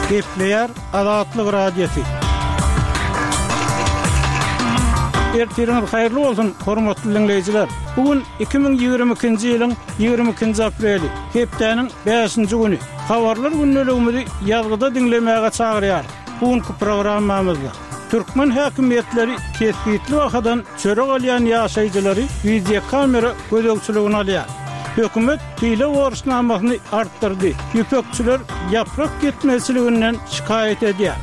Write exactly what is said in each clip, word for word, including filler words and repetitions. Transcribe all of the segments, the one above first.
Gepleýär Azatlyk Radiosy. Ertiriňiz haýyrly bolsun, hormatly diňleýjiler! Bu gün iki müň ýigrimi ikinji ýylyň ýigrimi ikinji apreli, hepdäniň bäşinji güni. Habarlar gündeligimizi ýazgyda diňlemäge çagyrýarys. Bu günki programmamyzda türkmen häkimiýetleri kesgitli bahadan çörek alýan ýaşaýjylary wideokamera gözegçiligine alýar. Hökümet pile borçnamasyny artdyrdy. Ýüpekçiler ýaprak ýetmezçiliginden şikaýat edýär.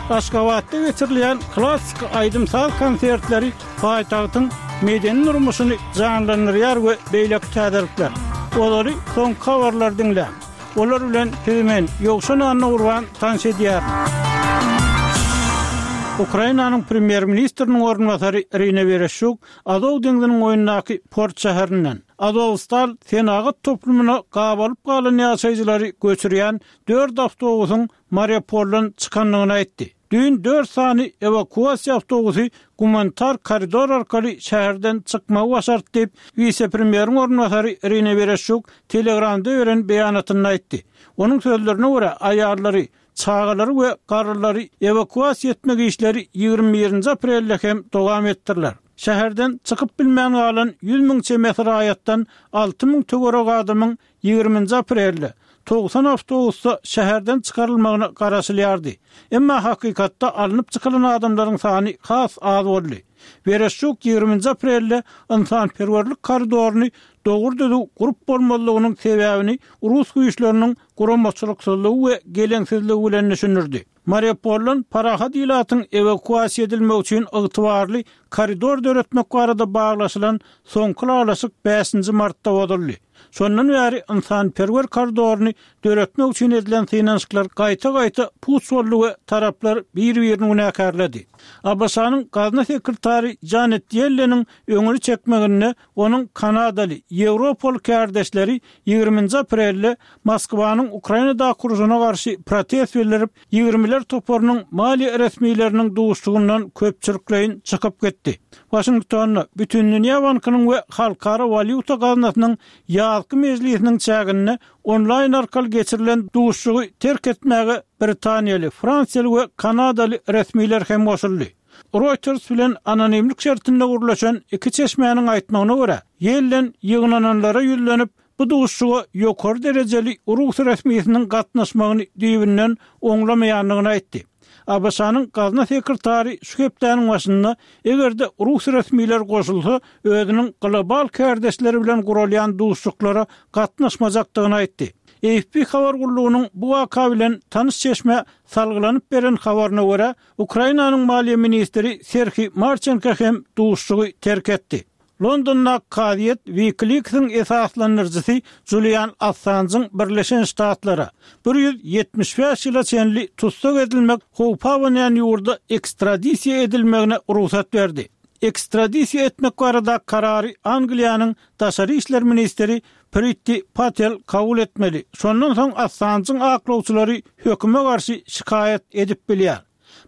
Aşgabatda geçirilýän klassyky aýdym-saz konsertleri paýtagtyň medeni durmuşyny janlandyrýar we beýleki täzelikler. Olary soňky habarlar diňläň. Olar bilen sizi men, Ýowşan Annagurban tanyş edýärin. Ukrainanyň premýer-ministriniň orunbasary Irina Wereşçuk Azow deňziniň boýundaky port şäherinden Azowstal senagat toplumyna gabalyp galan ýaşaýjylary göçürýän dört awtobusyň Mariupoldan çykandygyny aýtdy. Düýn dört sany ewakuasiýa awtobusy gumanitar koridor arkaly şäherden çykmagy başardy diýip, wise-premýeriň orunbasary Irina Wereşçuk Telegramda beren beýanatynda aýtdy. Onuň sözlerine görä, aýallary, çagalary we garrylary ewakuasiýa etmek işleri ýigrimi birinji aprelde hem dowam etdiriler. Şäherden çykyp bilmän galan ýüz müň çemesi raýatdan alty müň töweregi adamyň ýigriminji aprelde togsan awtobusda şäherden çykarylmagyna garaşylýardy. Emma hakykatda alnyp çykylan adamlaryň sany has az boldy. Wereşçuk ýigriminji aprelde ynsanperwerlik koridoryny dogry-düzüw gurup bolmazlygynyň sebäbini rus güýçleriniň guramaçylyksyzlygy we geleňsizligi bilen düşündirdi. Mariupoldan parahat ilatyň ewakuasiýa edilmegi üçin ygtybarly koridor döretmek barada baglaşylan soňky ylalaşyk bäşinji martda bozuldy. Şondan bäri ynsanperwer koridoryny döretmek üçin edilen synanyşyklar gaýta-gaýta puç boldy we taraplar bir-birini günäkärledi. ABŞ-nyň gazna sekretary Janet Ýelleniň öňüni çekmeginde onuň kanadaly, ýewropaly kärdeşleri ýigriminji aprelde Moskwanyň Ukrainadaky urşuna garşy protest bildirip, ýigrimiler toparynyň maliýe resmileriniň duşuşygyndan köpçülikleýin çykyp gitdi. Waşingtonda Bütindünýä bankynyň we Halkara walýuta gaznasynyň ýazky mejlisiniň çäginde onlaýn arkaly geçirilen duşuşygy terk etmäge britaniýaly, fransiýaly we kanadaly resmiler hem goşuldy. Reuters bilen anonimlik şertinde gürleşen iki çeşmäniň aýtmagyna görä, Ýellen ýygnananlara ýüzlenip, bu duşuşyga ýokary derejeli rus resmisiniň gatnaşmagyny düýbünden oňlamaýandygyny aýtdy. ABŞ-nyň gazna sekretary şu hepdäniň başynda, eger-de rus resmiler goşulsa, özüniň global kärdeşleri bilen guralýan duşuşyklara gatnaşmajakdygyny aýtdy. AFP habar gullugynyň bu waka bilen tanyş çeşmä salgylanyp beren habaryna görä, Ukrainanyň maliýe ministri Serhiý Marçenko hem duşuşygy terk etdi. Londondaky kazyýet WikiLeaks-iň esaslandyryjysy Julian Assanjyň Birleşen Ştatlara, bir ýüz ýetmiş bäş ýyla çenli tussag edilmek howpy abanýan ýurda ekstradisiýa edilmegine rugsat berdi. Ekstradisiýa etmek baradaky karary Angliýanyň daşary işler ministri Priti Patel kabul etmeli, şondan soň Assanjyň aklawçylary höküme garşy şikaýat edip bilýär.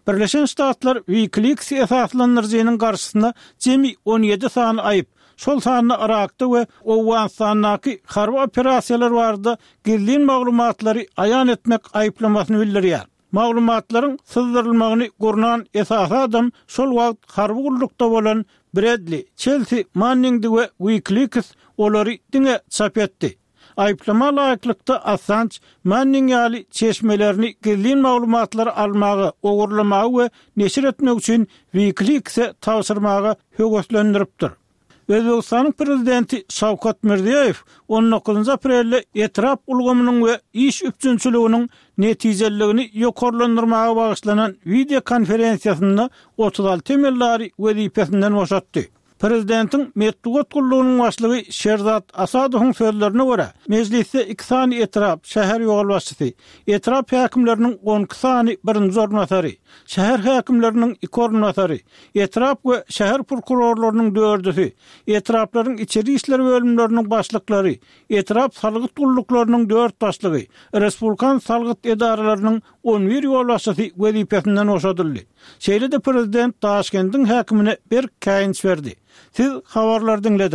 Birleşen Ştatlar WikiLeaks esaslandyryjynyň garşysyna jemi on ýedi sany aýyp, şol sanda Yrakda we Owganystandaky harby operasiýalar barada gizlin maglumatlary aýan etmek aýyplamasyny bildirýär. Maglumatlaryň syzdyrylmagyny gurnan esasy adam şol wagt harby gullukda bolan Bredli Çelsi Manningdi we WikiLeaks olary diňe çap etdi. Aýyplama laýyklykda, Assanj Manning ýaly çeşmelerini gizlin maglumatlary almaga, ogurlamaga we neşir etmek üçin WikiLeaks-e tabşyrmaga höweslendiripdir. Özbegistanyň Prezidenti Şawkat Mirziýoýew on dokuzynjy aprelde etrap ulgamynyň we iş üpjünçiliginiň netijeliligini ýokarlandyrmaga bagyşlanan wideokonferensiýasynda otuz alty emeldary wezipesinden boşatdy. Prezidentiň metbugat gullugynyň başlygy Şerzat Asadowyň sözlerine görä, mejlisde iki sany etrap, şäher ýolbaşçysy, etrap häkimleriniň on iki sany birinji orunbasary, şäher häkimleriniň iki orunbasary, etrap we şäher prokurorlarynyň dördüsi, etraplaryň içeri işler bölümleriniň başlyklary, etrap salgyt gulluklarynyň dört başlygy, respublikan salgyt edaralarynyň on bir ýolbaşçysy wezipesinden boşadyldy. Şeýle-de prezident Daşkendiň häkimine berk käýinç berdi. Siz habarlary diňlediňiz.